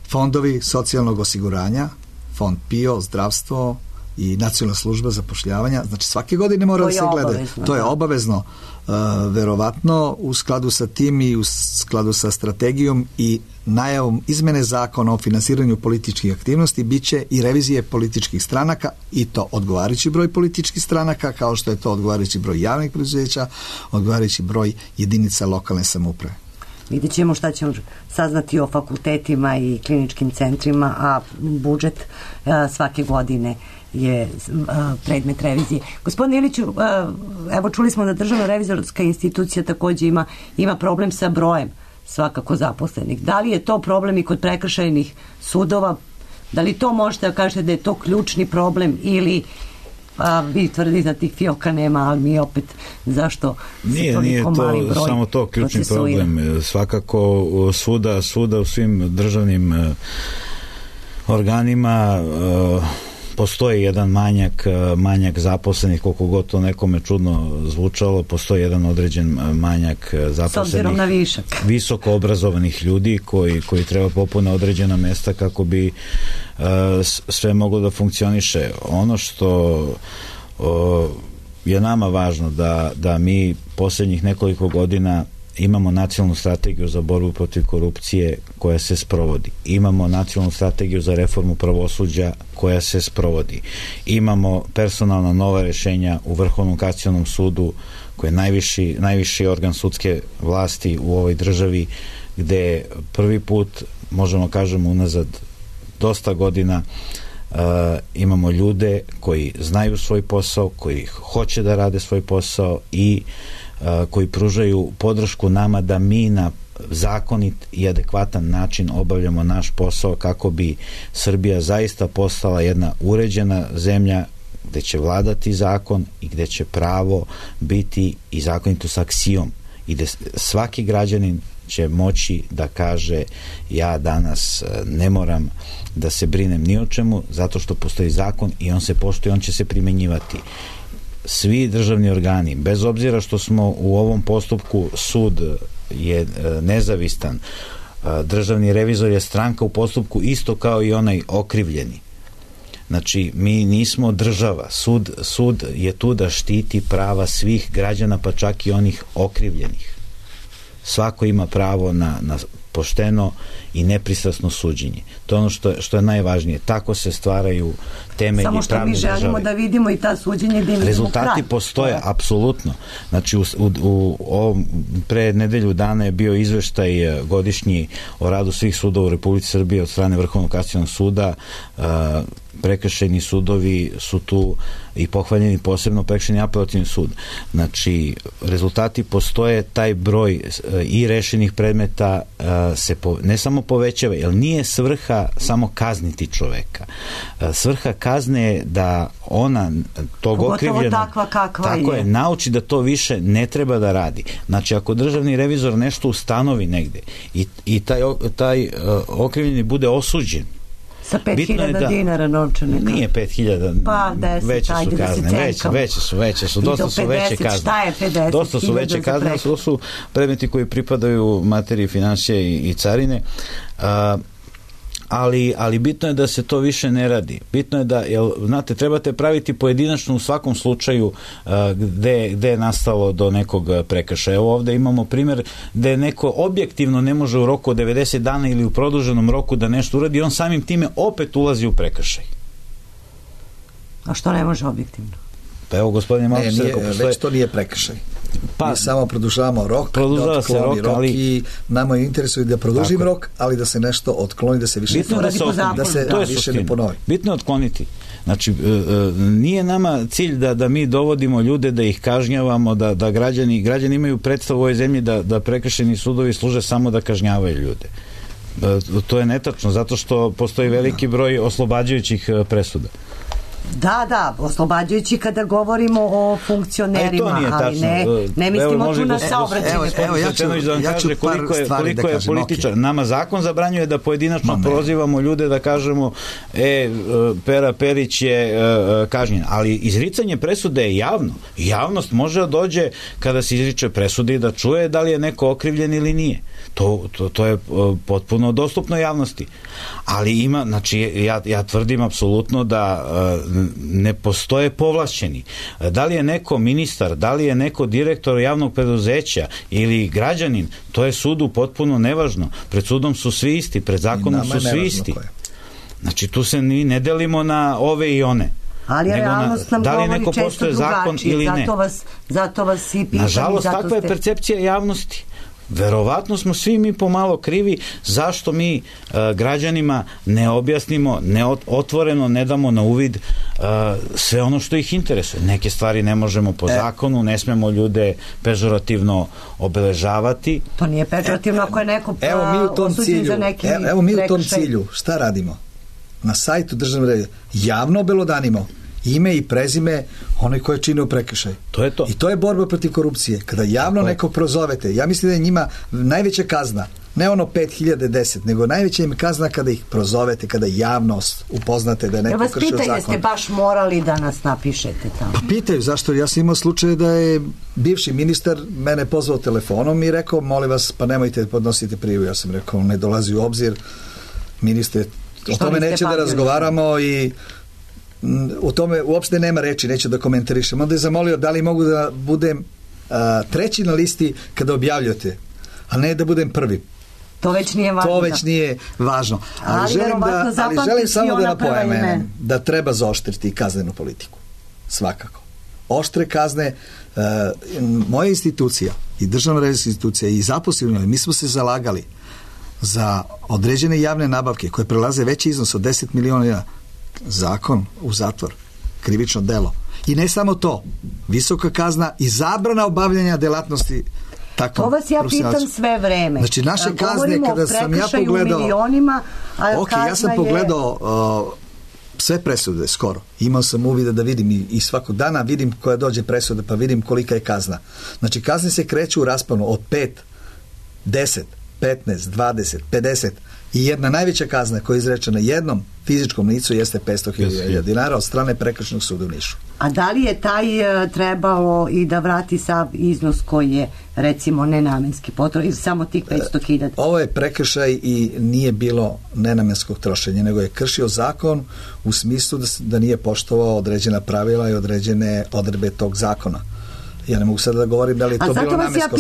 fondovi socijalnog osiguranja, fond PIO, zdravstvo i nacionalna služba zapošljavanja. Znači svake godine mora da se gleda. To je obavezno. Verovatno u skladu sa tim i u skladu sa strategijom i najavom izmene zakona o finansiranju političkih aktivnosti biće i revizije političkih stranaka, i to odgovarajući broj političkih stranaka, kao što je to odgovarajući broj javnih preduzeća, odgovarajući broj jedinica lokalne samouprave. Vidjet ćemo šta ćemo saznati o fakultetima i kliničkim centrima, a budžet svake godine je predmet revizije. Gospodine Iliću, evo čuli smo da Državna revizorska institucija takođe ima problem sa brojem svakako zaposlenih. Da li je to problem i kod prekršajnih sudova? Da li to možete da kažete da je to ključni problem ili vi tvrdite da tih fioka nema, ali mi opet zašto se toliko mali broj? Nije to samo to ključni problem. Svakako svuda u svim državnim organima postoji jedan manjak zaposlenih, koliko god to nekome čudno zvučalo, postoji jedan određen manjak zaposlenih, visoko obrazovanih ljudi koji treba popune određena mesta kako bi sve moglo da funkcioniše. Ono što je nama važno da mi posljednjih nekoliko godina imamo nacionalnu strategiju za borbu protiv korupcije koja se sprovodi. Imamo nacionalnu strategiju za reformu pravosuđa koja se sprovodi. Imamo personalna nova rješenja u Vrhovnom kasacionom sudu koji je najviši organ sudske vlasti u ovoj državi, gde prvi put, možemo kažemo unazad dosta godina, imamo ljude koji znaju svoj posao, koji hoće da rade svoj posao i koji pružaju podršku nama da mi na zakonit i adekvatan način obavljamo naš posao kako bi Srbija zaista postala jedna uređena zemlja gde će vladati zakon i gde će pravo biti i zakonitost aksijom i gde svaki građanin će moći da kaže ja danas ne moram da se brinem ni o čemu zato što postoji zakon i on se poštuje, on će se primenjivati. Svi državni organi, bez obzira što smo u ovom postupku, sud je nezavistan, državni revizor je stranka u postupku isto kao i onaj okrivljeni. Znači, mi nismo država. Sud je tu da štiti prava svih građana, pa čak i onih okrivljenih. Svako ima pravo na pošteno i nepristrasno suđenje. To je ono što je najvažnije. Tako se stvaraju temelji pravne države. Samo što mi želimo da vidimo i ta suđenje gde imamo rezultati postoje, apsolutno. Znači, pre nedelju dana je bio izveštaj godišnji o radu svih sudova u Republici Srbije od strane Vrhovnog kasacionog suda. Prekršajni sudovi su tu i pohvaljeni, posebno prekršajni apelativni sud. Znači, rezultati postoje, taj broj i rešenih predmeta se ne samo povećava, jer nije svrha samo kazniti čoveka. Svrha kazne je da ona tog okrivljenog tako je, nauči da to više ne treba da radi. Znači, ako državni revizor nešto ustanovi negde i taj okrivljeni bude osuđen, sa 5.000 dinara novčanika. Nije 5.000, pa 10, veće su kazne, veće su, dosta su veće kazne. Šta je 50? Dosta su veće kazne, to su predmeti koji pripadaju materiji finansije i carine, ali bitno je da se to više ne radi. Bitno je da, znate, trebate praviti pojedinačno u svakom slučaju gde je nastalo do nekog prekršaja. Evo ovde imamo primjer gde neko objektivno ne može u roku od 90 dana ili u produženom roku da nešto uradi, on samim time opet ulazi u prekršaj. A što ne može objektivno? Pa evo, gospodine Malčić, već to nije prekršaj. Mi samo produžavamo rok, da otkloni rok i nama je interesuje da produžim rok, ali da se nešto otkloni, da se više ne ponovi. Bitno je otkloniti. Znači, nije nama cilj da mi dovodimo ljude, da ih kažnjavamo, da građani imaju predstavu u ovoj zemlji da prekršajni sudovi služe samo da kažnjavaju ljude. To je netačno, zato što postoji veliki broj oslobađajućih presuda. Da, oslobađajući kada govorimo o funkcionerima, ali ne mislimo tu na saobraćajne. Evo, ja ću koliko je političar. Nama zakon zabranjuje da pojedinačno prozivamo ljude, da kažemo Pera Perić je kažnjen, ali izricanje presude je javno. Javnost može da dođe kada se izriče presude i da čuje da li je neko okrivljen ili nije. To je potpuno dostupno javnosti. Ali ima, znači ja tvrdim apsolutno da ne postoje povlašćeni. Da li je neko ministar, da li je neko direktor javnog preduzeća ili građanin, to je sudu potpuno nevažno. Pred sudom su svi isti, pred zakonom su svi isti. Znači tu se ne delimo na ove i one. Ali realnost nam govori često drugačije, zato vas i pitam. Nažalost, takva je percepcija javnosti. Verovatno smo svi mi pomalo krivi zašto mi građanima ne objasnimo, otvoreno ne damo na uvid sve ono što ih interesuje. Neke stvari ne možemo po zakonu, ne smemo ljude pežorativno obeležavati. To nije pežorativno ako je neko osuđen za neki prekršaj. Evo mi u tom cilju, šta radimo? Na sajtu državne revizije javno obelodanimo ime i prezime onaj koji je činio prekršaj. To je to. I to je borba protiv korupcije. Kada javno nekog prozovete, ja mislim da je njima najveća kazna, ne ono 5.000, 10, nego najveća im kazna kada ih prozovete, kada javnost upoznate da je neko kršio zakon. Vas pitaju, jeste baš morali da nas napišete tamo? Pa pitaju, zašto? Ja sam imao slučaj da je bivši ministar mene pozvao telefonom i rekao, molim vas, pa nemojte podnositi prijavu. Ja sam rekao, ne dolazi u obzir, ministre, o tome neće da razgovaramo i u tome uopšte nema reči, neću da komentarišem. Onda je zamolio da li mogu da budem treći na listi kada objavljate, a ne da budem prvi. To već nije važno. To već nije važno. Ali želim samo da napomenem da treba zaoštriti kaznenu politiku. Svakako. Oštre kazne, moja institucija i državna revizijska institucija i zaposleni, mi smo se zalagali za određene javne nabavke koje prelaze veći iznos od 10 miliona zakon u zatvor, krivično delo. I ne samo to, visoka kazna i zabrana obavljanja delatnosti. To vas ja pitam sve vreme. Znači naše kazne kada sam ja pogledao ja sam pogledao sve presude skoro. Imao sam uvida da vidim i svakog dana vidim koja dođe presuda pa vidim kolika je kazna. Znači kazne se kreću u rasponu od 5, 10, 15, 20, 50 i jedna najveća kazna koja je izrečena jednom fizičkom licu jeste 500.000 dinara od strane Prekršajnog suda u Nišu. A da li je taj trebalo i da vrati sav iznos koji je recimo nenamenski potrošen ili samo tih 500.000? Ovo je prekršaj i nije bilo nenamenskog trošenja, nego je kršio zakon u smislu da nije poštovao određena pravila i određene odredbe tog zakona. Ja ne mogu sada da govorim da li je to bilo namensko.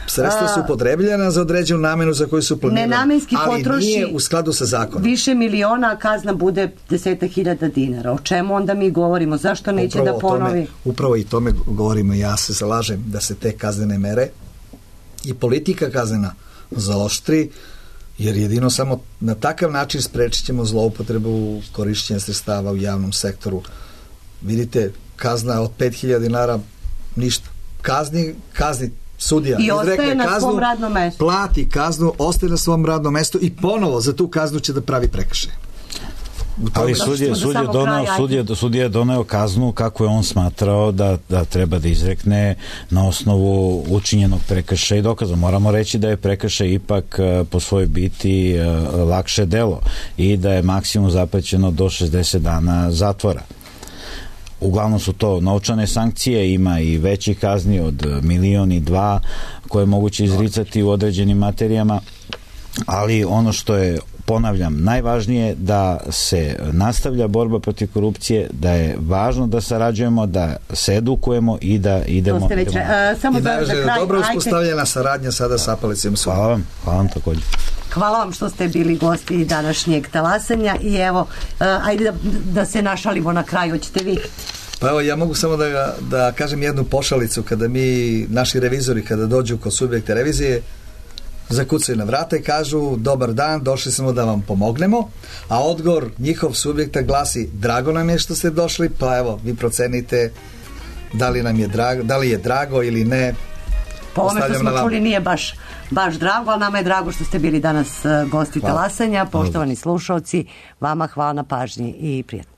Sredstva su upotrebljena za određenu namenu za koju su planirane, ali nije u skladu sa zakonom. Više miliona, kazna bude 10.000 dinara. O čemu onda mi govorimo? Zašto neće da ponovi? Upravo i tome govorimo. Ja se zalažem da se te kaznene mere i politika kaznena zaoštri, jer jedino samo na takav način sprečit ćemo zloupotrebu korišćenja sredstava u javnom sektoru. Vidite, kazna od 5.000 dinara, ništa. Kazni sudija. I ostaje na svom radnom mestu. Plati kaznu, ostaje na svom radnom mestu i ponovo za tu kaznu će da pravi prekršaj. Ali sudija je doneo kaznu kako je on smatrao da treba da izrekne na osnovu učinjenog prekršaja i dokaza. Moramo reći da je prekršaj ipak po svojoj biti lakše delo i da je maksimum zaprećeno do 60 dana zatvora. Uglavnom su to novčane sankcije, ima i veći kazni od 1 milion i 2 koje je moguće izricati u određenim materijama, ali ono što je, ponavljam, najvažnije da se nastavlja borba protiv korupcije, da je važno da sarađujemo, da se edukujemo i da idemo. I najvažnije, dobro uspostavljena saradnja sada sa Apelacionim sudom. Hvala vam također. Hvala vam što ste bili gosti današnjeg talasanja i evo, ajde da se našalimo na kraju, hoćete vi? Pa evo, ja mogu samo da kažem jednu pošalicu, kada naši revizori, kada dođu kod subjekta revizije, zakucaju na vrata i kažu, dobar dan, došli smo da vam pomognemo, a odgovor njihov subjekta glasi, drago nam je što ste došli, pa evo, vi procenite da li je drago ili ne. Po ovome što smo čuli nije baš drago, ali nama je drago što ste bili danas gosti talasanja. Poštovani slušalci, vama hvala na pažnji i prijatno.